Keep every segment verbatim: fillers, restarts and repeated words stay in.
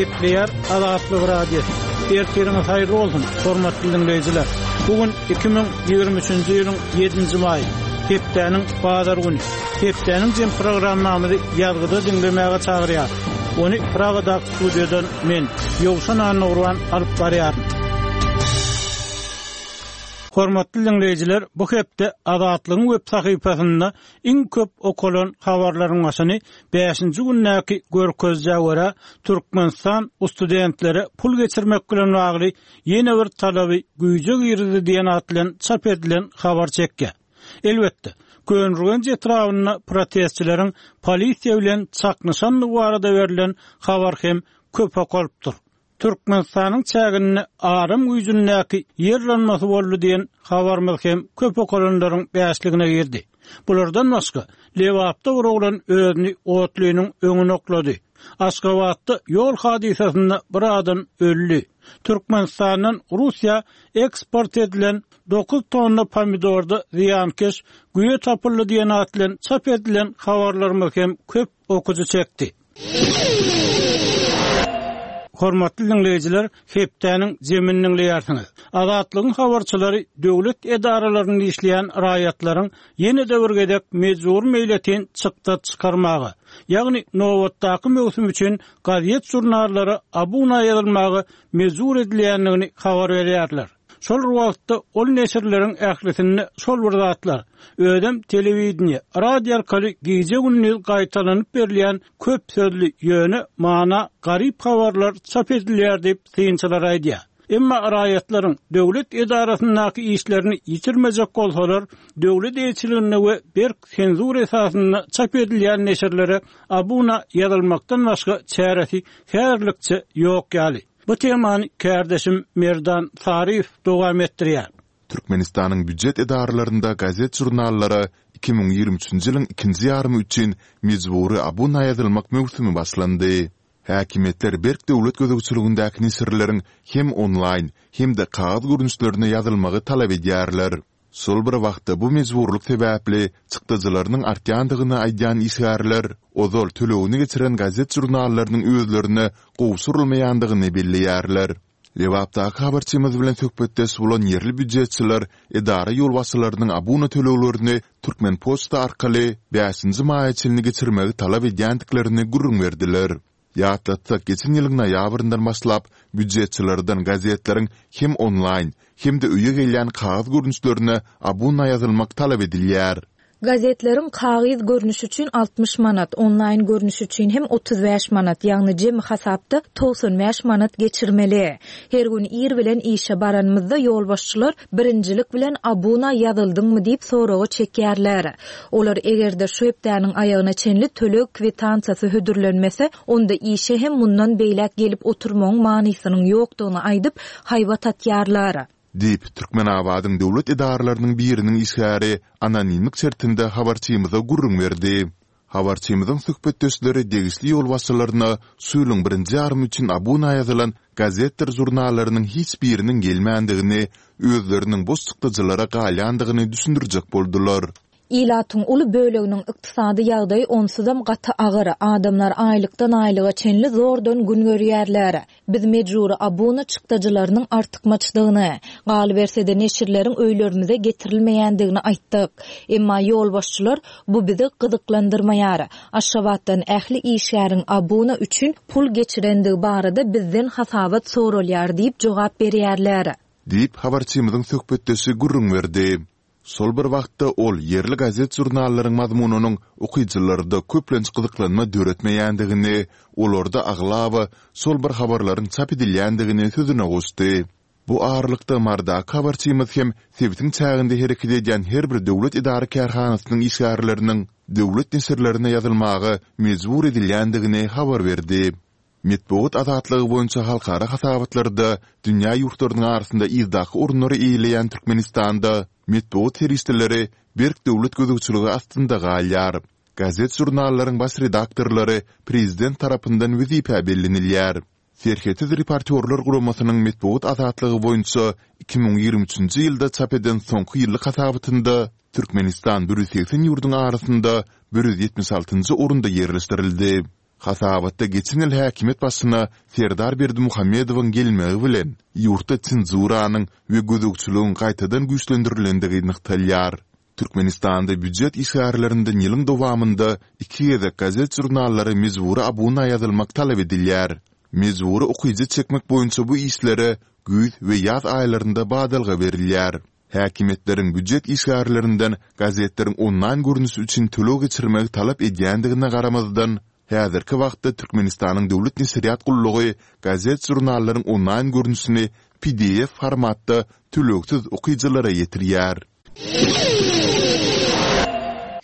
Gepleýär Azatlyk Radiosy. Ertiriňiz haýyrly bolsun, hormatly diňleýjiler. Bu gün iki müň ýigrimi üçünji ýylyň ýedinji maýy, hepdäniň bazar güni. Hepdäniň jem programmamyzy ýazgyda diňlemäge çagyrýar. Ony Pragadaky studiýadan men, Ýowşan Annagurban alyp barýaryn. Hormatly diňleýjiler, bu hepde Azatlygyň web sahypasynda iň köp okalan habarlaryň başyny bäşinji gündäki görkezijä görä, Türkmenistan studentlere pul geçirmek bilen bagly ýene bir talaby güýje girizdi diýen at bilen çap edilen habar çekýär. Elbetde, Köneürgenç etrabynda protestçileriň polisiýa bilen çaknyşandygy barada berlen habar hem köp okalypdyr. Türkmenistanyň çäginde aram güýjündäki ýer yranmasy boldy diýen habarymyz hem köp okalanlaryň bäşligine girdi. Bulardan başga, Lebapda bir oglan özüni otlynyň öňüne oklady. Aşgabatda ýol hadysasynda bir adam öldi. Türkmenistandan Russiýa eksport edilen dokuz tonna pomidorda zyýankeş güýe tapyldy diýen at bilen çap edilen habarlarymyz hem köp okyjy çekdi. Hormatly diňleýjiler, hepdäniň jemini diňleýärsiňiz. Azatlygyň habarçylary döwlet edaralarynda işleýän raýatlaryň ýene-de bir gezek mejbury meýletin çykda çykarmaga, ýagny nobatdaky möwsüm üçin gazet-žurnallara abuna ýazylmaga mejbur edilýändigini habar berýärler. Şol bir wagtda ol neşirleriň ählisinde şol bir zatlar, özem telewideniýe, radio arkaly gije-gündiz gaýtalanyp berilýän köp sözli, ýöne mana garyp habarlar çap edilýär diýip, synçylar aýdýar. Emma raýatlaryň döwlet edarasyndaky işlerini ýitirmejek bolsalar, döwlet eýeçiliginde we berk senzura esasynda çap edilýän neşirlere abuna ýazylmakdan başga çäresi häzirlikçe ýok ýaly. Bu temany kärdeşim Merdan Saryýew dowam etdirýär. Türkmenistanyň býujet edaralarynda gazet-žurnallara iki müň ýigrimi üçünji ýylyň ikinji ýarymy üçin mejbury abuna ýazylmak möwsümi başlandy. Häkimiýetler berk döwlet gözegçiligindäki neşirleriň hem onlaýn, hem-de kagyz görnüşlerine ýazylmagy talap edýärler. Şol bir wagtda bu mejburlyk sebäpli çykdajylarynyň artýandygyny aýdýan işgärler ozal tölegini geçiren gazet-žurnallarynyň özlerine gowşurylmaýandygyny belleýärler. Lebapdaky habarçymyz bilen söhbetdeş bolan ýerli býujetçiler edara ýolbaşçylarynyň abuna töleglerini Türkmenpoçta arkaly bäşinji maýa çenli geçirmegi talap edýändiklerini gürrüň berdiler. Ýatlatsak, geçen ýylyň noýabryndan başlap, býujetçilerden gazetleriň hem onlaýn, hem-de öýe gelýän kagyz görnüşlerine abuna ýazylmak talap edilýär. Gazetleriň kagyz görnüşi üçin altmyş manat, onlaýn görnüşi üçin hem otuz bäş manat, ýagny jemi hasapda togsan bäş manat geçirmeli. Her gün ir bilen işe baranymyzda ýolbaşçylar birinjilik bilen abuna ýazyldyňmy diýip soraga çekýärler. Olar eger-de şu hepdäniň aýagyna çenli töleg kwitansiýasy hödürlenmese, onda işe hem mundan beýläk gelip oturmagyň manysynyň ýokdugyny aýdyp, haýbat atýarlar. Diýip, Türkmenabadyň döwlet edaralarynyň biriniň işgäri anonimlik şertinde habarçymyza gürrüň berdi. Habarçymyzyň söhbetdeşleri degişli ýolbaşçylaryna şu ýylyň birinji ýarymy üçin abuna ýazylan gazetdir žurnallarynyň hiç biriniň gelmändigini, özleriniň boş çykdajylara galýandygyny düşündirjek boldular. Ilatyň uly böleginiň ykdysady ýagdaýy onsuzam gaty agyr, adamlar aýlykdan aýlyga çenli zordan gün görýärler. Biz mejbury abuna çykdajylarynyň artykmaçdygyny, galyberse-de neşirleriň öýlerimize getirilmeýändigini aýtdyk. Emma ýolbaşçylar bu bizi gyzyklandyrmaýar. Aşgabatdan ähli işgäriň abuna üçin pul geçirendigi barada bizden hasabat soralýar diýip jogap berýärler. Diýip, habarçymyzyň söhbetdeşi gürrüň berdi. Şol bir wagtda ol ýerli gazet-žurnallaryň mazmunynyň okyjylarda köplenç gyzyklanma döretmeýändigini, olarda aglaba şol bir habarlaryň çap edilýändigini sözüne goşdy. Bu aralykda Marydaky habarçymyz hem sebitiň çäginde hereket edýän her bir döwlet edara-kärhanasynyň işgärleriniň döwlet neşirlerine ýazylmaga mejbur edilýändigini habar berdi. Metbugat azatlygy boýunça halkara hasabatlarda dünýä ýurtlarynyň arasynda yzdaky orunlary eýeleýän Türkmenistanda metbugat serişdeleri berk döwlet gözegçiligi astynda galýar. Gazet-žurnallaryň baş redaktorlary prezident tarapyndan wezipä bellenilýär. Serhetsiz reportýorlar guramasynyň metbugat azatlygy boýunça iki müň ýigrimi üçünji ýylda çap eden soňky ýyllyk hasabatynda Türkmenistan bir ýüz segsen ýurduň arasynda bir ýüz ýetmiş altynjy orunda ýerleşdirildi. Hasabatda geçen ýyl häkimiýet başyna Serdar Berdimuhamedowyň gelmegi bilen, ýurtda senzuranyň we gözegçiligiň gaýtadan güýçlendirilendigi nygtalýar. Türkmenistanda býujet işgärlerinden ýylyň dowamynda iki gezek gazet-žurnallara mejbury abuna ýazylmak talap edilýär. Mejbury okyjy çekmek boýunça bu işlere güýz we ýaz aýlarynda badalga berilýär. Häkimiýetleriň býujet işgärlerinden gazetleriň onlaýn görnüşi üçin töleg geçirmegi talap edýändigine garamazdan, häzirki wagtda Türkmenistanyň Döwlet neşirýat gullugy gazet-žurnallaryň onlaýn görnüşini P D F formatda tölegsiz okyjylara ýetirýär.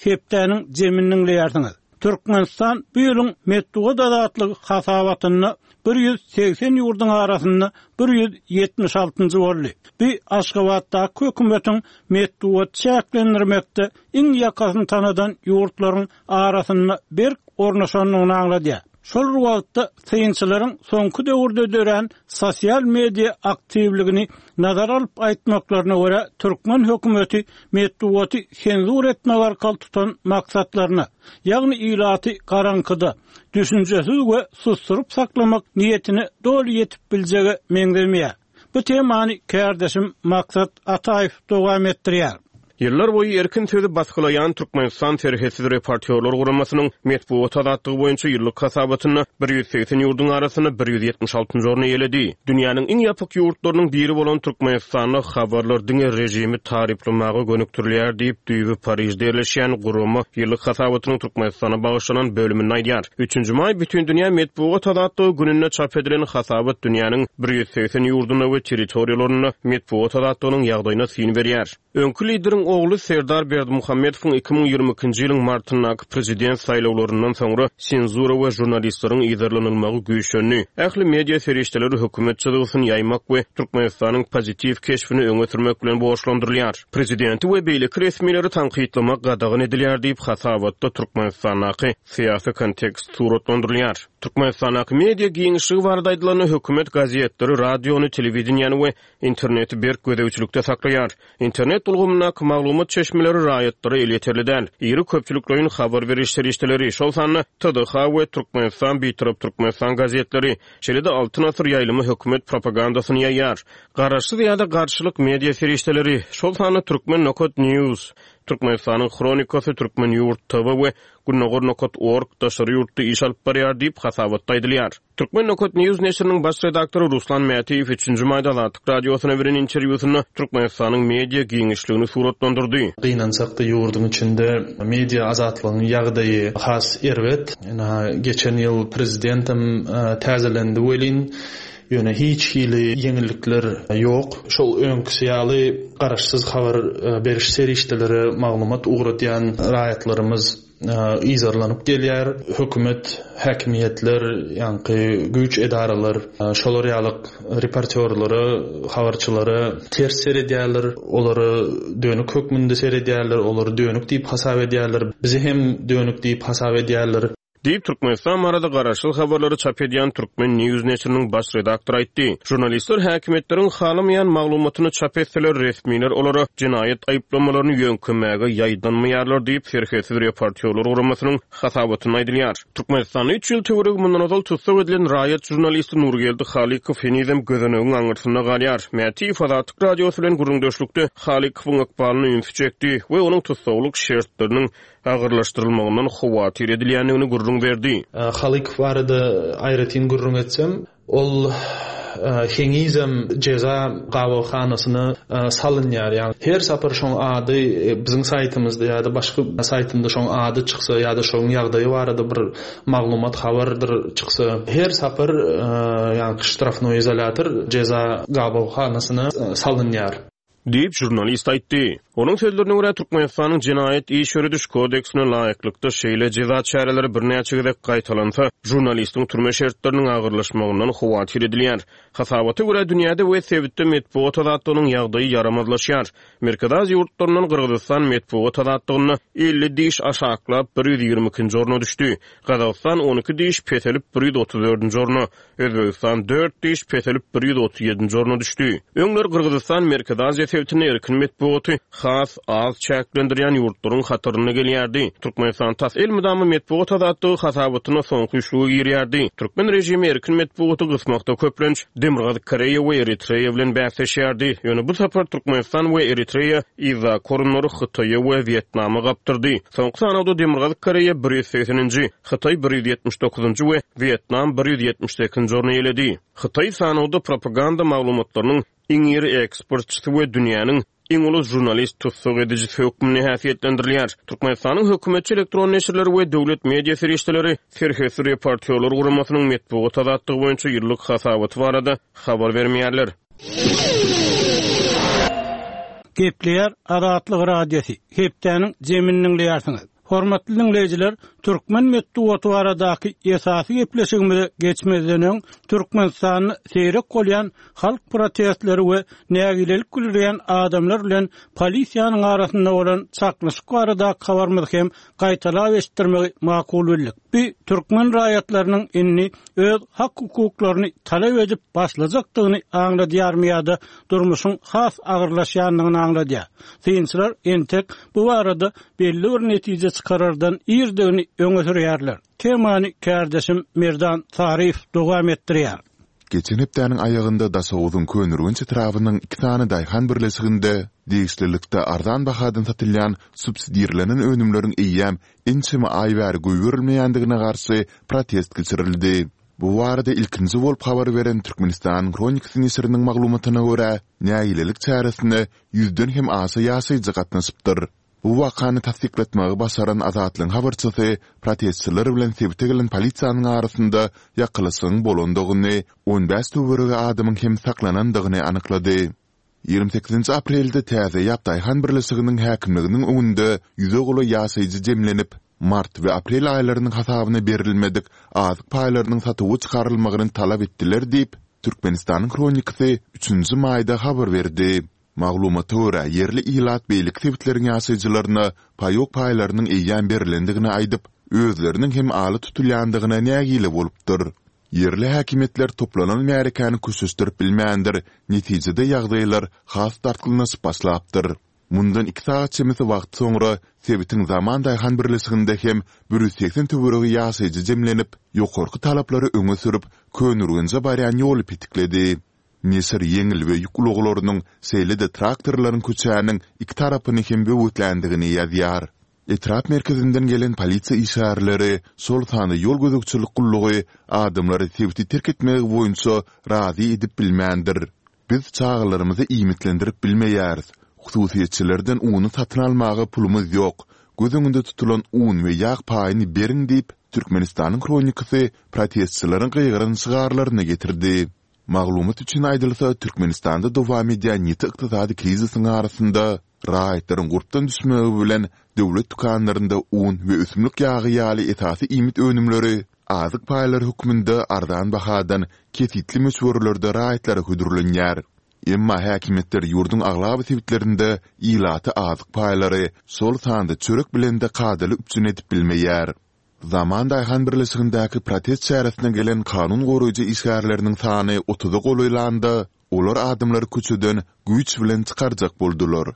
Hepdäniň jemini diňleýärsiňiz. Türkmenistan bu ýylyň metbugat azatlygy hasabatynda ýüz segsen ýurduň arasynda ýüz ýetmiş altynjy boldy. Bu Aşgabatdaky hökümetiň metbugat çäklendirmekde iň ýakasyny tanadan ýurtlaryň arasynda berk ornaşandygyny aňladýar. Şol wagtda synçylaryň soňky döwürde dörän sosial media aktiwligini nazara alyp aýtmaklaryna görä, türkmen hökümeti metbugaty senzur etmek arkaly tutan maksatlaryna, ýagny ilaty garaňkyda, düşünjesiz we susturyp saklamak niýetine doly ýetip biljege meňzemeýär. Bu temany kärdeşim Maksat Ataýew dowam etdirýär. Ýyllar boýy erkin sözi basgylaýan Türkmenistan Serhetsiz reportýorlar guramasynyň metbugat azatlygy boýunça ýyllyk hasabatynda ýüz segsen ýurduň arasynda ýüz ýetmiş altynjy orny eýeledi. Dünýäniň iň ýapyk ýurtlarynyň biri bolan Türkmenistanda habarlar diňe režimi taryplamaga gönükdirilýär diýip, düýbi Parižde ýerleşýän gurama ýyllyk hasabatynyň Türkmenistana bagyşlanan bölüminde aýdýar. Üçünji maý Bütindünýä metbugat azatlygy gününde çap edilen hasabat dünýäniň ýüz segsen ýurdunda we territoriýalarynda metbugat azatlygynyň ýagdaýyna syn berýär. Öňki lideriň ogly Serdar Berdimuhamedowyň iki müň ýigrimi ikinji ýylyň martyndaky prezident saýlawlaryndan soňra senzura we žurnalistleriň yzarlanylmagy güýçlendi. Ähli media serişdeleri hökümet çyzgysyny ýaýmak we Türkmenistanyň pozitiw keşbini öňe sürmek bilen borçlandyrylýar. Prezidenti we beýleki resmileri tankytlamak gadagan edilýär diýip, hasabatda Türkmenistandaky syýasy kontekst suratlandyrylýar. Türkmenistandaky media giňişligi barada aýdylanda, hökümet gazetleri, radiony, telewideniýeni we interneti berk gözegçilikde saklaýar. Internet ulgamyndaky maglumat çeşmeleri raýatlara elýeterli däl. Iri köpçülikleýin habar beriş serişdeleri, şol sanda T D H we Türkmenistan Bitarap Türkmenistan gazetleri, şeýle-de Altyn Asyr ýaýlymy hökümet propagandasyny ýaýar. Garaşsyz ýa-da garşylyk media serişdeleri, şol sanda Türkmen Nokat News, Türkmenistanyň Hronikasy, Türkmen Ýurt T V we Gündogar Nokat Org daşary ýurtda iş alyp barýar diýip hasabatda aýdylýar. Türkmen Nokat News neşiriniň baş redaktory Ruslan Mätiýew üçünji maýda Azatlyk Radiosyna beren interwýusynda Türkmenistanyň media giňişligini suratlandyrdy. Gynansak-da, ýurduň içinde media azatlygyň ýagdaýy has erbet. Ina, geçen ýyl prezidentem täzelendi welin, ýöne hiç hili ýeňillikler ýok. Şol öňküsi ýaly garaşsyz habar beriş serişdeleri maglumat ugradýan raýatlarymyz yzarlanyp gelýär. Hökümet, häkimiýetler, ýaňky güýç edaralar şolar ýaly reportýorlara, habarçylara ters seredýärler, olara dönük hökmünde seredýärler, olary dönük diýip hasap edýärler. Bizi hem dönük diýip hasap edýärler. Diýip Türkmenistan barada garaşsyz habarlary çap edýän Türkmen News neşiriniň baş redaktory aýtdy. Žurnalistler häkimiýetleriň halamaýan maglumatyny çap etseler, resmiler olara jenaýat aýyplamalaryny ýöňkemäge ýaýdanmaýarlar diýip Serhetsiz reportýorlar guramasynyň hasabatynda aýdylýar. Türkmenistanda üç ýyl töweregi mundan ozal tussag edilen raýat žurnalisti Nurgeldi Halykow henizem gözenegiň aňyrsynda galýar. Mätiýew Azatlyk Radiosy bilen gürrüňdeşlikde Halykowyň ykbalyna ünsi çekdi we onuň tussaglyk şertleriniň agyrlaşdyrylmagyndan howatyr edilýändigini gürrüň berdi. Halykow barada aýratyn gürrüň etsem, ol henizem jeza gabawhanasyna salynýar. Ýagny her sapar şoň ady biziň saýtymyzda ýa-da başga saýtynda şoň ady çyksa ýa-da şoň ýagdaýy barada bir maglumat habardyr çyksa, her sapar ýagny ştrafnoý izolýator, jeza gabawhanasyna salynýar. Diýip žurnalist aýtdy. Onuň sözlerine görä, Türkmenistanyň jenaýat iş ýörediş kodeksine laýyklykda şeýle jeza çäreleri birnäçe gezek gaýtalansa, žurnalistiň türme şertleriniň agyrlaşmagyndan howatyr edilýär. Hasabata görä, dünýäde we sebitde metbugat azatlygynyň ýagdaýy ýaramazlaşýar. Merkezi Aziýa ýurtlaryndan Gyrgyzystan metbugat azatlygynda elli diş aşaklap ýüz ýigrimi ikinji orna düşdi. Gazagystan on iki diş peselip ýüz otuz dördünji orna, Özbegistan dört diş peselip ýüz otuz ýedinji orna düşdi. Öňler Gyrgyzystan Merkezi Aziýa sebitinde erkin metbugaty has az çäklendirýän ýurtlaryň hatarynda gelýärdi. Türkmenistan tas elmydama metbugat azatlygy hasabatyna soňky üçlüge girýärdi. Türkmen režimi erkin metbugaty gysmakda köplenç Demirgazyk Koreýa we Eritreýa bilen bäsleşýärdi. Ýöne bu sapar Türkmenistan we Eritreýa yzdaky orunlary Hytaýa we Wýetnama gapdyrdy. Soňky sanawda Demirgazyk Koreýa bir ýüz segseninji, Hytaý bir ýüz ýetmiş dokuzynjy we Wýetnam bir ýüz ýetmiş sekizinji orny eýeledi. Hytaý sanawda propaganda maglumatlarynyň iň iri eksportçysy we dünýäniň iň uly žurnalist tussag edijisi hökmünde häsiýetlendirilýär. Türkmenistanyň hökümetçi elektron neşirleri we döwlet media serişdeleri Serhetsiz reportýorlar guramasynyň metbugat azatlygy boýunça ýyllyk hasabaty barada habar bermeýärler. Gepleýär Azatlyk Radiosy. Hepdäniň zemini diňleýärsiňiz. Hormatly dinleýjiler, türkmen metbugaty baradaky esasy gepleşigimize geçmezden öň Türkmenistanda seýrek bolýan halk protestleri we nägilelik bildirýän adamlar bilen polisiýanyň arasynda bolan çaknyşyk baradaky habarymyzy hem gaýtalap eşitdirmegi makul bildik. Bu türkmen raýatlarynyň indi öz hak hukuklaryny talap edip başlajakdygyny aňladýarmy ýa-da durmuşyň has agyrlaşýandygyny aňladýar. Synçylar entek bu barada belli bir netije çykarardan irdigini öňe sürýärler. Temany kärdeşim Merdan Saryýew dowam etdirýär. Geçen hepdäniň aýagynda Daşoguzyň Köneürgenç etrabynyň iki sany daýhan birleşiginde degişlilikde arzan bahadan satylýan subsidirlenen önümleriň eýýäm ençeme aý bäri goýberilmeýändigine garşy protest geçirildi. Bu barada ilkinji bolup habar beren Türkmenistanyň Hronikasy neşiriniň maglumatyna görä, nägilelik çäresine ýüzden hem aşa ýaşaýjy gatnaşypdyr. Bu wakany tassyklatmagy başaran Azatlygyň habarçysy protestçiler bilen sebite gelen polisiýanyň arasynda ýakylyşygyň bolandygyny, on bäş töweregi adamyň hem saklanandygyny anyklady. Ýigrimi sekizinji aprelde Täze Ýap daýhan birleşiginiň häkimliginiň öňünde ýüze golaý ýaşaýjy jemlenip, mart we aprel aýlarynyň hasabyna berilmedik azyk paýlarynyň satuwa çykarylmagyny talap etdiler diýip, Türkmenistanyň Hronikasy üçünji maýda habar berdi. Maglumata görä, ýerli ilat beýleki sebitleriň ýaşaýjylaryna paýok paýlarynyň eýýäm berlendigini aýdyp, özleriniň hem ala tutulýandygyna nägile bolupdyr. Ýerli häkimiýetler toplanan märekäni köşeşdirip bilmändir, netijede ýagdaýlar has dartgynlaşyp başlapdyr. Mundan iki sagat çemesi wagt soňra sebitiň Zaman daýhan birleşiginde hem bir ýüz segsen töweregi ýaşaýjy jemlenip, ýokarky talaplary öňe sürüp, Köneürgenje barýan ýoly petikledi. Neşir ýeňil we ýük ulaglarynyň, şeýle-de traktorlaryň köçäniň iki tarapyny hem böwetländigini ýazýar. Etrap merkezinden gelen polisiýa işgärleri, şol sanda ýol gözegçilik gullugy adamlary sebiti terk etmegi boýunça razy edip bilmändir. Biz çagalarymyzy iýmitlendirip bilmeýäris, hususyýetçilerden uny satyn almaga pulumyz ýok, göz öňünde tutulan un we ýag paýyny beriň diýip, Türkmenistanyň Hronikasy protestçileriň gygyran şygarlaryny getirdi. Maglumat üçin aýdylsa, Türkmenistanda dowam edýän ýiti ykdysady krizisiň arasynda raýatlaryň gurpdan düşmegi bilen döwlet dükanlarynda un we ösümlik ýagy ýaly esasy iýmit önümleri azyk paýlary hökmünde arzan bahadan kesgitli möçberlerde raýatlara hödürlenýär. Emma häkimiýetler ýurduň aglaba sebitlerinde ilaty azyk paýlary, şol sanda çörek bilen-de kadaly üpjün edip bilmeýär. Zaman daýhan birleşigindäki protest çäresine gelen kanun goraýjy işgärleriniň sany otuza golaýlanda, olar adamlary köçeden güýç bilen çykarjak boldular.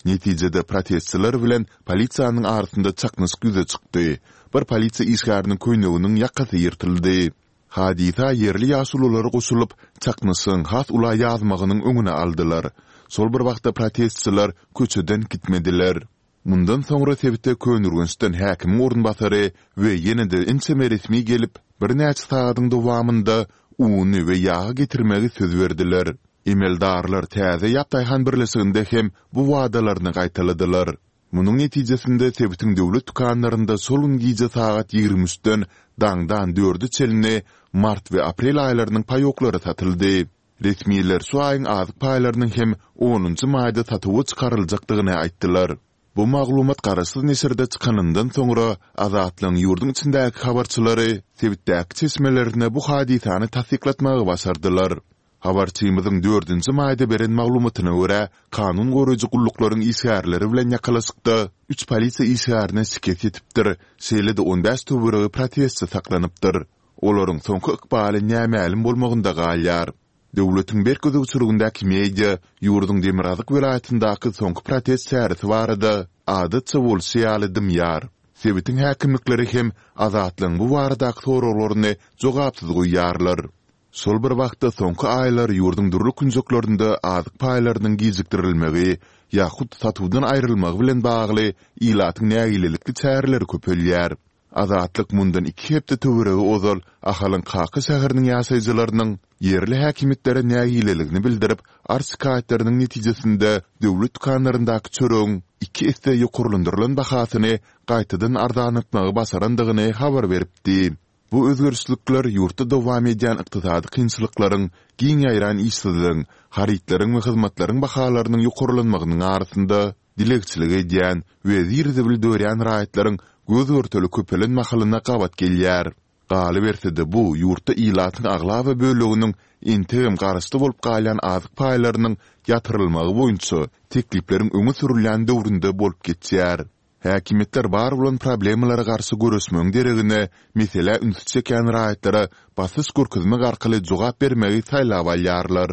Netijede protestçiler bilen polisiýanyň arasynda çaknyşyk ýüze çykdy, bir polisiýa işgäriniň köýneginiň ýakasy ýyrtyldy. Hadysa ýerli ýaşulular goşulyp, çaknyşygyň has ula ýazmagynyň öňüni aldylar. Şol bir wagtda protestçiler köçeden gitmediler. Mundan soňra sebite Köneürgençden häkimiň orunbasary we ýene-de ençeme resmi gelip, birnäçe sagadyň dowamynda uny we ýagy getirmegi söz berdiler. Emeldarlar Täze Ýap daýhan birleşiginde hem bu wadalaryny gaýtaladylar. Munuň netijesinde sebitiň döwlet dükanlarynda şol gün gije sagat ýigrimi üçden daňdan dörde çenli mart we aprel aýlarynyň paýoklary satyldy. Resmiler şu aýyň azyk paýlarynyň hem onunjy maýda satuwa çykaryljakdygyny aýtdylar. Bu maglumat garaşsyz neşirde çykanyndan soňra, Azatlygyň ýurduň içindäki habarçylary sebitdäki çeşmelerine bu hadysany tassyklatmagy başardylar. Habarçymyzyň dördünji maýda beren maglumatyna görä, kanun goraýjy gulluklaryň işgärleri bilen ýakalaşykda üç polisiýa işgärine şikes ýetipdir, şeýle-de on bäş töweregi protestçi saklanypdyr. Olaryň soňky ykbaly nämälim bolmagynda galýar. Döwletiň berk gözegçiligindäki media ýurduň demirgazyk welaýatyndaky soňky protest çäresi barada adatça bolşy ýaly dymýar. Sebitiň häkimlikleri hem Azatlygyň bu baradaky soraglaryny jogapsyz goýýarlar. Şol bir wagtda soňky aýlar ýurduň dürli künjeklerinde azyk paýlarynyň gijikdirilmegi ýa hut satuwdan aýrylmagy bilen bagly ilatyň nägilelikli çäreleri köpelýär. Azatlyk mundan iki hepde töweregi ozal Ahalyň Kaka şäheriniň ýaşaýjylarynyň ýerli häkimiýetlere nägileligini bildirip, arz-şikaýatlarynyň netijesinde döwlet dükanlaryndaky çöregiň iki esse ýokarlandyrylan bahasyny gaýtadan arzanlatmagy başarandygyny habar beripdi. Bu özgerişlikler ýurtda dowam edýän ykdysady kynçylyklaryň, giň ýaýran işsizligiň, harytlaryň we hyzmatlaryň bahalarynyň ýokarlanmagynyň arasynda dilegçilik edýän we zir-zibil dörýän raýatlaryň göz-görtele köpelen mahalyna gabat gelýär. Galyberse-de, bu ýurtda ilatyň aglaba böleginiň entegem garaşly bolup galýan azyk paýlarynyň ýatyrylmagy boýunça teklipleriň öňe sürülýän döwründe bolup geçýär. Häkimiýetler bar bolan problemalara garşy göreşmegiň deregine, meselä ünsi çekýän raýatlara basyş görkezmek arkaly jogap bermegi saýlap alýarlar.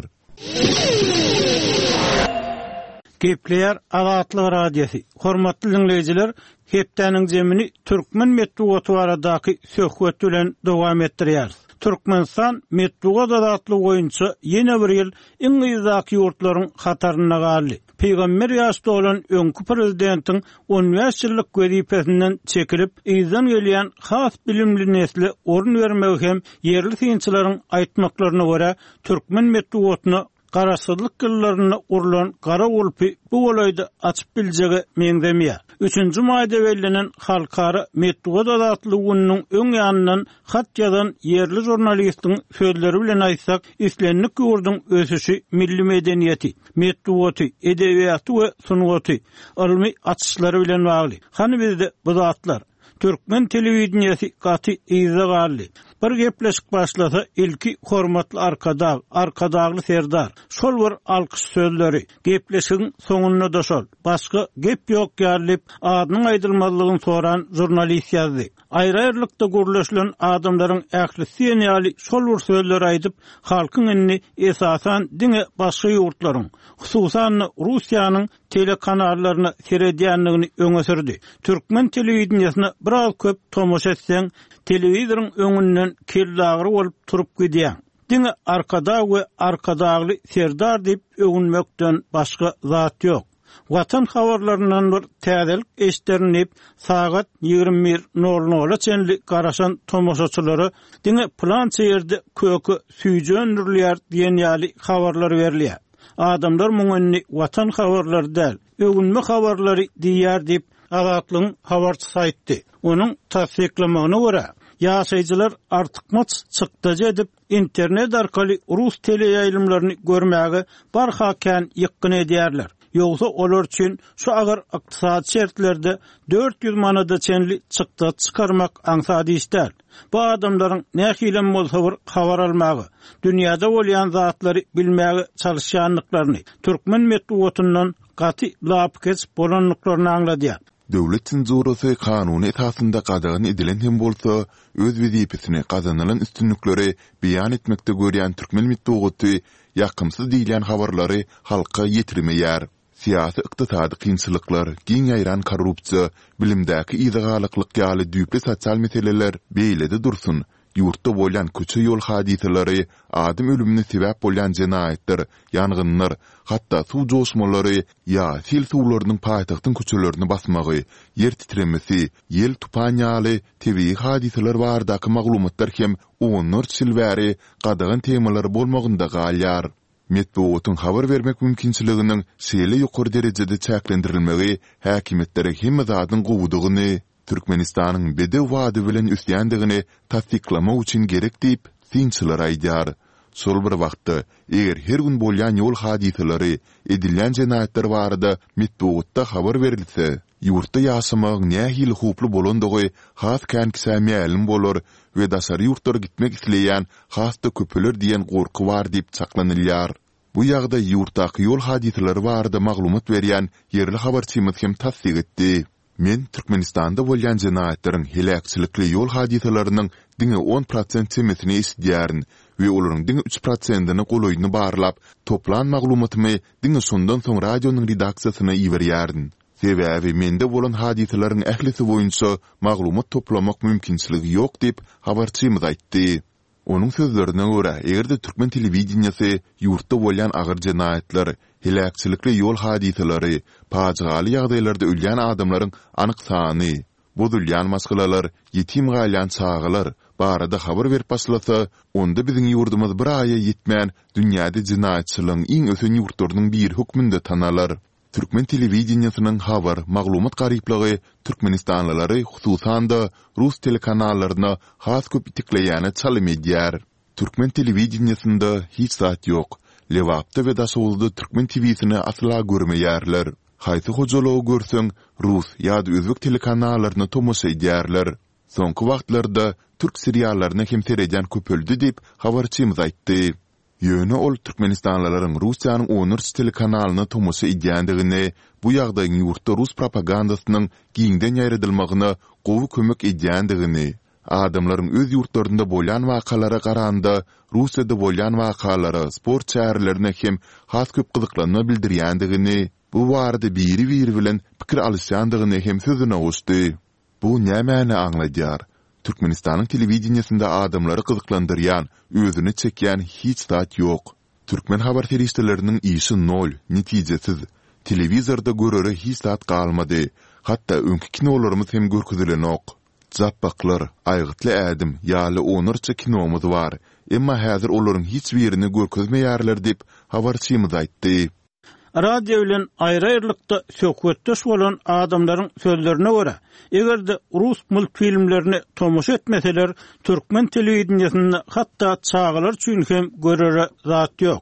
Gepleýär Azatlyk Radiosy. Hormatly diňleýjiler, hepdäniň jemini türkmen metbugaty baradaky söhbet bilen dowam etdirýäris. Türkmenistan metbugat azatlygy boýunça ýene bir ýyl iň yzdaky ýurtlaryň hatarynda galdy. Pygamber ýaşda bolan öňki prezidentiň on bäş ýyllyk wezipesinden çekilip, yzdan gelýän has bilimli nesle orun bermegi hem ýerli synçylaryň aýtmaklaryna görä, türkmen metbugatyna garaşsyzlyk ýyllarynda gurlan gara gulpy bu golaýda açyp biljege meňzemeýär. Üçünji maýda bellenen Halkara metbugat azatlygy gününiň öň ýanyndan hat ýazan ýerli žurnalistiň sözleri bilen aýtsak, islendik ýurduň ösüşi milli medeniýeti, metbugaty, edebiýaty we sungaty, ylmy açyşlary bilen bagly. Hany bizde bu zatlar? Türkmen telewideniýesi gaty yzda galdy. Bir gepleşik başlasa, ilki hormatly Arkadag, Arkadagly Serdar, şol bir alkyş sözleri, gepleşigiň soňunda-da şol, başga gep ýok ýaly diýip, adynyň aýdylmazlygyny soran žurnalist ýazdy. Aýry-aýrylykda gürleşilen adamlaryň ählisi diýen ýaly şol bir sözleri aýdyp, halkyň indi esasan diňe başga ýurtlaryň, hususan-da Russiýanyň telekanallaryna seredýändigini öňe sürdi. Türkmen telewideniýesine biraz köp tomaşa etseň, telewizoryň öňünden kellagyry bolup turup gidýäň. Diňe Arkadag we Arkadagly Serdar diýip öwünmekden başga zat ýok. Watan habarlaryndan bir täzelik eşderin diýip, sagat ýigrimi bir nol nola çenli garaşan tomaşaçylara diňe pylança ýerde köke süýji öndürilýär diýen ýaly habarlar berilýär. Adamlar muňa indi watan habarlary däl, öwünme habarlary diýýär diýip, Azatlygyň habarçysy aýtdy. Onuň tassyklamagyna görä, ýaşaýjylar artykmaç çykdajy edip, internet arkaly rus teleýaýlymlaryny görmäge barha kän ýykgyn edýärler. Ýogsa olar üçin şu agyr ykdysady şertlerde dört ýüz manada çenli çykdajy çykarmak aňsat iş däl. Bu adamlaryň nähilem bolsa bir habar almaga, dünýäde bolýan zatlary bilmäge çalyşýandyklaryny, türkmen metbugatyndan gaty lapykeç bolandyklaryny aňladýar. Döwlet senzurasy kanuny esasynda gadagan edilen hem bolsa, öz wezipesini gazanylan üstünlikleri beýan etmekde görýän türkmen metbugaty ýakymsyz diýilýän habarlary halka ýetirmeýär. Syýasy-ykdysady kynçylyklar, giň ýaýran korrupsiýa, bilimdäki yzagalaklyk ýaly düýpli sosial meseleler beýlede dursun, ýurtda bolýan köçe-ýol hadysalary, adam ölümine sebäp bolýan jenaýatlar, ýangynlar, hatda suw joşmalary ýa sil suwlarynyň paýtagtyň köçelerini basmagy, ýer titremesi, ýel-tupan ýaly tebigy hadysalar baradaky maglumatlar hem onlarça ýyl bäri gadagan temalar bolmagynda galýar. Metbugatyň habar bermek mümkinçiliginiň şeýle ýokary derejede çäklendirilmegi häkimiýetlere hemme zadyň gowudygyny, Türkmenistanyň bedew bady bilen ösýändigini tassyklamak üçin gerek diýip, synçylar aýdýar. Şol bir wagtda, eger her gün bolýan ýol hadysalary, edilýän jenaýatlar barada metbugatda habar berilse, ýurtda ýaşamagyň nähili howply bolandygy has kän kişä mälim bolar we daşary ýurtlara gitmek isleýän has-da köpeler diýen gorky bar diýip çaklanylýar. Bu ýagdaý ýurtdaky ýol hadysalary barada maglumat berýän ýerli habarçymyz hem tassyk etdi. Men Türkmenistanda bolýan jenaýatlaryň, heläkçilikli ýol hadysalarynyň diňe on prosent çemesini eşidýärin we olaryň diňe üç prosentine golaýyny barlap, toplan maglumatymy diňe şondan soň radionyň redaksiýasyna iberýärin. Sebäbi mende bolan hadysalaryň ählisi boýunça maglumat toplamak mümkinçiligi ýok diýip, habarçymyz aýtdy. Onuň sözlerine görä, eger-de türkmen telewideniýesi ýurtda bolýan agyr jenaýatlar, heläkçilikli ýol hadysalary, pajygaly ýagdaýlarda ölýän adamlaryň anyk sany, bozulýan maşgalalar, ýetim galýan çagalar barada habar berip başlasa, onda biziň ýurdumyz bir aýa ýetmän dünýäde jenaýatçylygyň iň ösen ýurtlarynyň biri hökmünde tanalar. Türkmen telewideniýesiniň habar, maglumat garyplygy türkmenistanlylary hususan-da rus telekanallaryna has köp itekleýäne çalym edýär. Türkmen telewideniýesinde hiç zat ýok. Lebapda we Daşoguzda türkmen TW-sini asla görmeýärler. Haýsy hojalygy görseň, rus ýa-da özbek telekanallaryna tomaşa edýärler. Soňky wagtlarda türk seriallaryna hem seredýän köpeldi diýip, habarçymyz aýtdy. Ýöne ol türkmenistanlylaryň Russiýanyň onlarça telekanalyna tomaşa edýändigini, bu ýagdaýyň ýurtda rus propagandasynyň giňden ýaýradylmagyna gowy kömek edýändigini, adamlaryň öz ýurtlarynda bolýan wakalara garanda Russiýada bolýan wakalara, sport çärelerine hem has köp gyzyklanma bildirýändigini, bu barada biri-biri bilen pikir alyşýandygyny hem sözüne goşdy. Bu nämäni aňladýar? Türkmenistanyň telewideniýesinde adamlary gyzyklandyrýan, özüne çekýän hiç zat ýok. Türkmen habar serişdeleriniň işi nol, netijesiz. Telewizorda görere hiç zat galmady. Hatda öňki kinolarymyz hem görkezilenok. Japbaklar, Aýgytly ädim ýaly onlarça kinomyz bar. Emma häzir olaryň hiç birini görkezmeýärler diýip, habarçymyz aýtdy. Radio bilen aýry-aýrylykda söhbetdeş bolan adamlaryň sözlerine görä, eger-de rus multfilmlerine tomaşa etmeseler, türkmen telewideniýesinde hatda çagalar üçin hem görere zat ýok.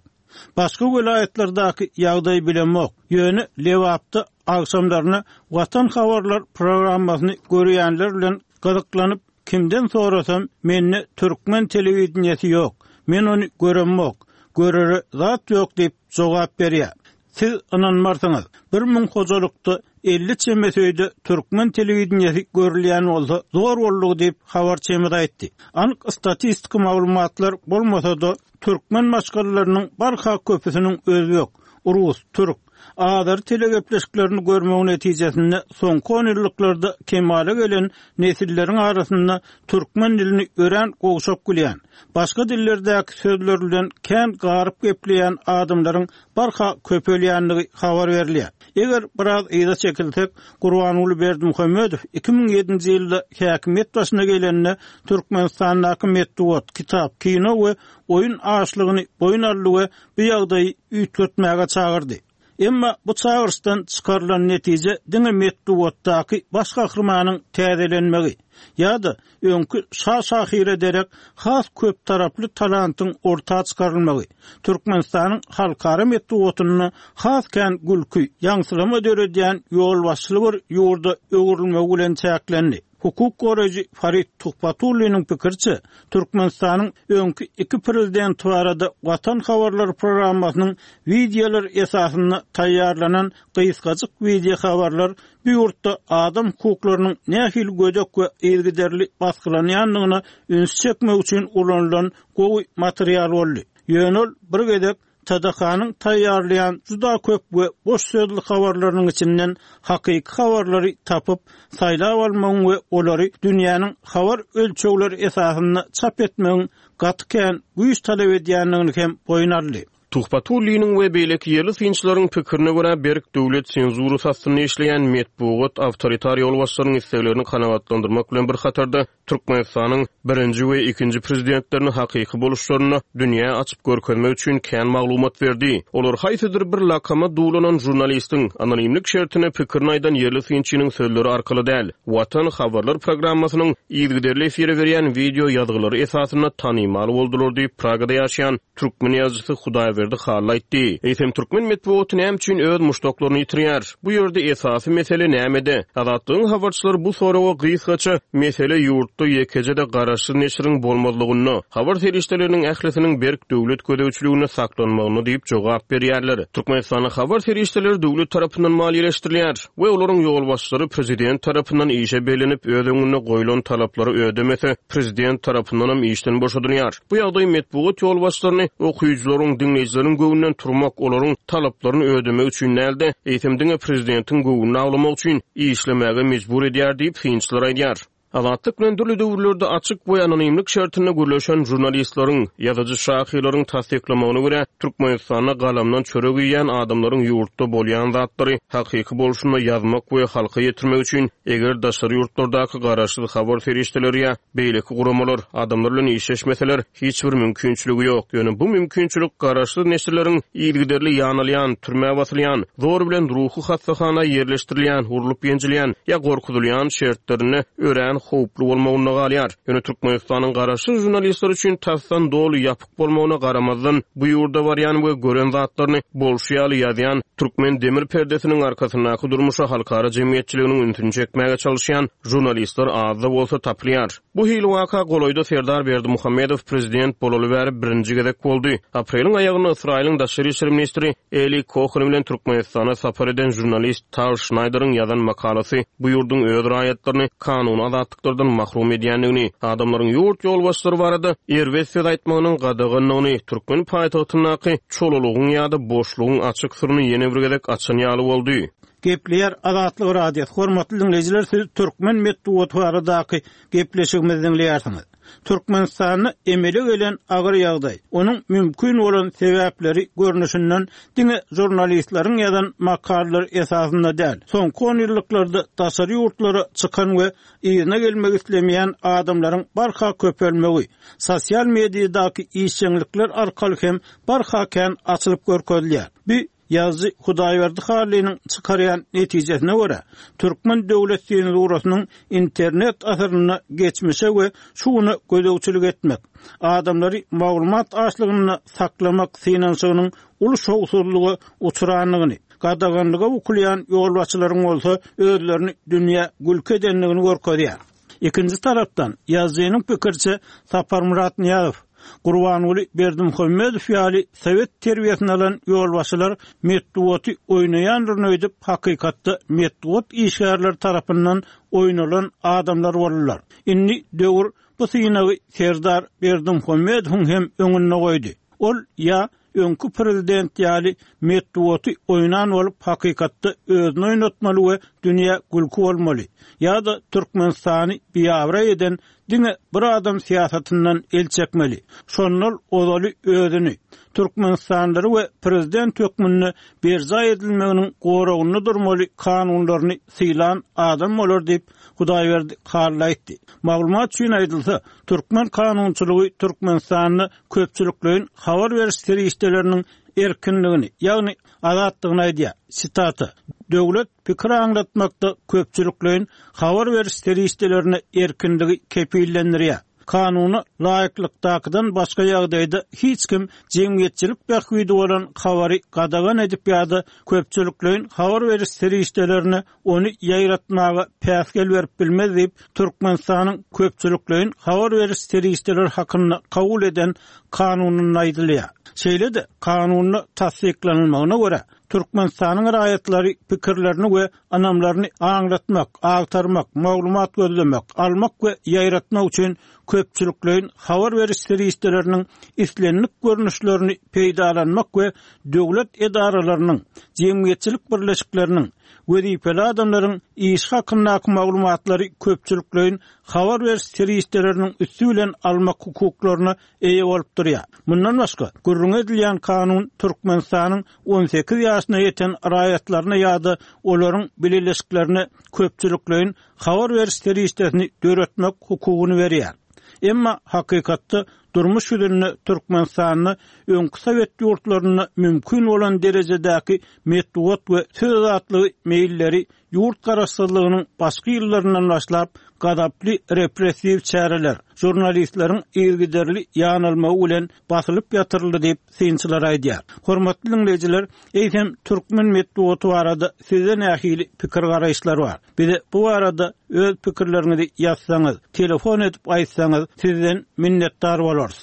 Başga welaýatlardaky ýagdaýy bilemok, ýöne Lebapda agşamlaryna Watan habarlar programmasyny görýänler bilen gyzyklanyp, kimden sorasam, mende türkmen telewideniýesi ýok, men ony göremok, görere zat ýok diýip jogap berýär. Siz ynanmarsyňyz, bir müň hojalykda elli çemesi öýde türkmen telewideniýesi görülýän bolsa zor boldugy diýip habarçymyz aýtdy. Anyk statistiki maglumatlar bolmasa-da, türkmen maşgalalarynyň barha köpüsiniň özbek, rus, türk, azeri telegepleşiklerini görmegi netijesinde soňky onýyllyklarda kemala gelen nesilleriň arasynda türkmen dilini örän gowşak bilýän, başga dillerdäki sözler bilen kän garyp gepleýän adamlaryň barha köpelýändigi habar berilýär. Eger biraz yza çekilsek, Gurbanguly Berdimuhamedow iki müň ýedinji ýylda häkimiýet başyna gelende Türkmenistandaky metbugat, kitap, kino we oýun açlygyny boýun aldy we bu ýagdaýy üýtgetmäge çagyrdy. Emma bu çagyryşdan çykarylan netije diňe metbugatdaky baş gahrymanyň täzelenmegi ýa-da öňki şa şahyra derek has köp taraply talantyň orta çykarylmagy, Türkmenistanyň halkara metbugatynda has kän gülki, ýaňsylama döredýän ýolbaşçyly bir ýurda öwrülmegi bilen çäklendi. Hukuk goraýjy Farid Tuhbatulliniň pikiriçe, Türkmenistanyň öňki iki prezidenti barada Watan habarlary programmasynyň wideolar esasynda taýýarlanan gysgajyk wideohabarlar bu ýurtda adam hukuklarynyň nähili gödek we yzygiderli basgylanýandygyna üns çekmek üçin ulanylan gowy material boldy. Ýöne ol bir gezek T D K-nyň taýýarlaýan juda köp we boş sözli habarlarynyň içinden hakyky habarlary tapyp, saýlap almagyň we olary dünýäniň habar ölçegleri esasynda çap etmegiň gaty kän güýç talap edýändigini hem boýun aldy. Tuhbatulliniň we beýleki ýerli synçylaryň pikirine görä, berk döwlet senzurasy astynda işleýän metbugat awtoritar ýolbaşçylaryň isleglerini kanagatlandyrmak bilen bir hatarda Türkmenistanyň birinji we ikinji prezidentlerini hakyky boluşlarynda dünýä açyp görkezmek üçin kän maglumat berdi. Olar haýsydyr bir lakama duwlanan žurnalistiň anonimlik şertine pikirini aýdan ýerli synçynyň sözleri arkaly däl, Watan habarlar programmasynyň yzygiderli efire berýän wideo ýazgylary esasynda tanymal boldular diýip, Pragada ýaşaýan türkmen ýazyjysy Hudaýberdi Hudaýberdi Hally aýtdy. Eýsem türkmen metbugaty näme üçin öz muşdaklaryny ýitirýär? Bu ýerde esasy mesele nämede? Azatlygyň habarçylary bu soraga gysgaça mesele ýurtda ýekeje-de garaşsyz neşiriň bolmazlygynda, habar serişdeleriniň ählisiniň berk döwlet gözegçiliginde saklanmagyny diýip jogap berýärler. Türkmenistanda habar serişdeleri döwlet tarapyndan maliýeleşdirilýär we olaryň ýolbaşçylary prezident tarapyndan işe bellenip öz öňünde goýlan talaplary ödemese prezident tarapyndan hem işden boşadylýar. Bu ýagdaý metbugat ýolbaşçylaryny okyjylaryň, diňleýjileriň göwnünden turmak, olaryň talaplaryny ödemek üçin dälde, eýsem diňe prezidentiň göwnüni awlamak üçin işlemäge mejbur edýär diýip synçylar aýdýar. Azatlyk bilen dürli döwürlerde açyk we anonimlik şertinde gürleşen jurnalistleriň, ýazyjy şahyrlaryň tassyklamagyna görä, Türkmenistanda galamdan çörek iýen adamlaryň ýurtda bolýan zatlary hakyky bolşunda ýazmak we halka ýetirmek üçin eger daşary ýurtlardaky garaşsyz habar serişdeleri ýa beýleki guramalar adamlar bilen işleşmeseler hiç bir mümkinçiligi ýok. Ýöne bu mümkinçilik garaşsyz neşirleriň yzygiderli ýanalýan, türmä basylýan, zor bilen ruhy hassahana ýerleşdirilýän, urlup ýenjilýän ýa gorkuzylýan şertlerinde örän howply bolmagynda galýar. Ýöne Türkmenistanyň garaşsyz jurnalistler üçin tasdan doly ýapyk bolmagyna garamazdan bu ýurda barýan we gören zatlaryny bolşy ýaly ýazýan türkmen demir perdesiniň arkasyndaky durmuşa halkara jemgyýetçiliginiň ünsüni çekmäge çalışýan jurnalistler azda bolsa tapylýar. Bu hili waka golaýda Serdar Berdimuhamedow prezident bolaly bäri birinji gezek boldy. Apreliň aýagynda Ysraýylyň daşary işler ministri Eli Kohen bilen Türkmenistana sapar eden jurnalist Tal Şnaýderiň ýazan makalasy bu ýurduň öz raýatlaryny kanuny azatlyklardan mahrum edýändigini, adamlaryň ýurt ýolbaşçylary barada erbet söz aýtmagynyň gadaganlygyny, türkmen paýtagtyndaky çolalygyň ýa-da boşlugyň açyk syryny ýene bir gezek açan ýaly boldy. Gepleýär Azatlyk Radiosy. Hormatly dinleýjiler, siz türkmen metbugaty baradaky gepleşigimizi dinleýärsiňiz. Türkmenistanda emele gelen agyr ýagdaý, onuň mümkin bolan sebäpleri görnüşinden diňe jurnalistleriň ýazan makalalary esasynda däl. Soňky on ýyllyklarda daşary ýurtlara çykan we yzyna gelmek islemeýän adamlaryň barha köpelmegi, sosial mediadaky işjeňlikler arkaly hem barha kän açylyp görkezilýär. Bu Ýazyjy Hudaýberdi Hallynyň çykarýan netijesine görä, türkmen döwlet senzurasynyň internet asyrynda geçmişe we şu güne gözegçilik etmek, adamlary maglumat açlygynda saklamak synanyşygynyň uly şowsuzlyga uçrandygyny, gadaganlyga bukulýan ýolbaşçylaryň bolsa özlerini dünýä gülki edendigini görkezýär. Ikinji tarapdan ýazyjynyň pikirçe Saparmyrat Nyýazow, Gurbanguly Berdimuhamedow ýaly sowet terbiýesini alan ýolbaşçylar metbugaty oýnaýandyr öýdüp hakykatda metbugat işgärleri tarapyndan oýnalan adamlar boldular. Indi döwür bu synagy Serdar Berdimuhamedowyň hem öňünde goýdy. Ol ýa öňkü prezident ýaly metbugaty oýnan bolup hakykatda özüni oýnatmaly we dünýä gülki bolmaly ýa-da Türkmenistany biabraý eden diňe bir adam syýasatyndan el çekmeli. Şondan ozaly özüni Türkmenistanlary we prezident hökmünde berjaý edilmeginiň goragynda durmaly kanunlaryny sylan adam bolar diýip Hudaýberdi Hally aýtdy. Maglumat üçin aýdylsa, türkmen kanunçylygy Türkmenistanda köpçülikleýin habar beriş serişdeleriniň erkinligini, ýagny azatlygyny aýdýar. Sitata: Döwlet pikir aňlatmakda köpçülikleýin habar beriş serişdelerine erkinligi kepillendirýär. Kanuna laýyklykdakydan başga ýagdaýda hiç kim jemgyýetçilik bähbidi bolan habary gadagan edip ýa-da köpçülikleýin habar beriş serişdelerine ony ýaýratmaga päsgel berip bilmez diýip Türkmenistanyň köpçülikleýin habar beriş serişdeleri hakynda kabul eden kanunynda aýdylýar. Şeýle-de kanunda tassyklanylmagyna görä Türkmenistanyň raýatlary pikirlerini we ynamlaryny aňlatmak, agtarmak, maglumat gözlemek, almak we ýaýratmak üçin köpçülikleýin habar beriş serişdeleriniň islendik görnüşlerini peýdalanmak we döwlet edaralarynyň, jemgyýetçilik birleşikleriniň, wezipeli adamlaryň iş hakyndaky maglumatlary köpçülikleýin habar beriş serişdeleriniň üsti bilen almak hukuklaryna eýe bolup durýar. Mundan başga, gürrüň edilýän kanun Türkmenistanyň on sekiz ýaşyna ýeten raýatlaryna ýa-da olaryň bileleşiklerine köpçülikleýin habar beriş serişdesini döretmek hukugyny berýär. Emma hakykatda durmuş ýüzünde Türkmenistanda öňkü sowet ýurtlarynda mümkin bolan derejedäki metbugat we söz azatlygy meýilleri ýurt garaşsyzlygynyň başky ýyllaryndan başlap gazaply repressiw çäreler, žurnalistleriň yzygiderli ýanalmagy bilen basylyp ýatyryldy diýip synçylar aýdýar. Hormatly diňleýjiler, eýsem türkmen metbugaty barada sizde nähili pikir garaýyşlar bar? Bize bu barada öz pikirleriňizi ýazsaňyz, telefon edip aýtsaňyz, sizden minnetdar bolarys.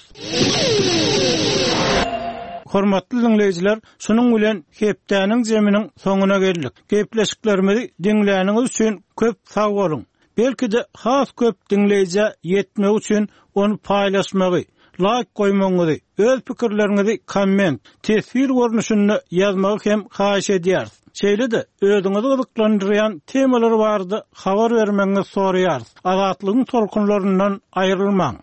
Hormatly diňleýjiler, şunuň bilen hepdäniň zeminiň soňuna geldik. Gepleşiklerimizi diňläniňiz üçin köp sag boluň. Belki-de has köp diňleýjä ýetmek üçin ony paýlaşmagy, laýk goýmagyňyzy, öz pikirleriňizi komment, teswir görnüşinde ýazmagy hem haýyş edýäris. Şeýle-de özüňizi gyzyklandyrýan temalar barada habar bermegiňizi soraýarys. Azatlygyň tolkunlaryndan aýrylmaň.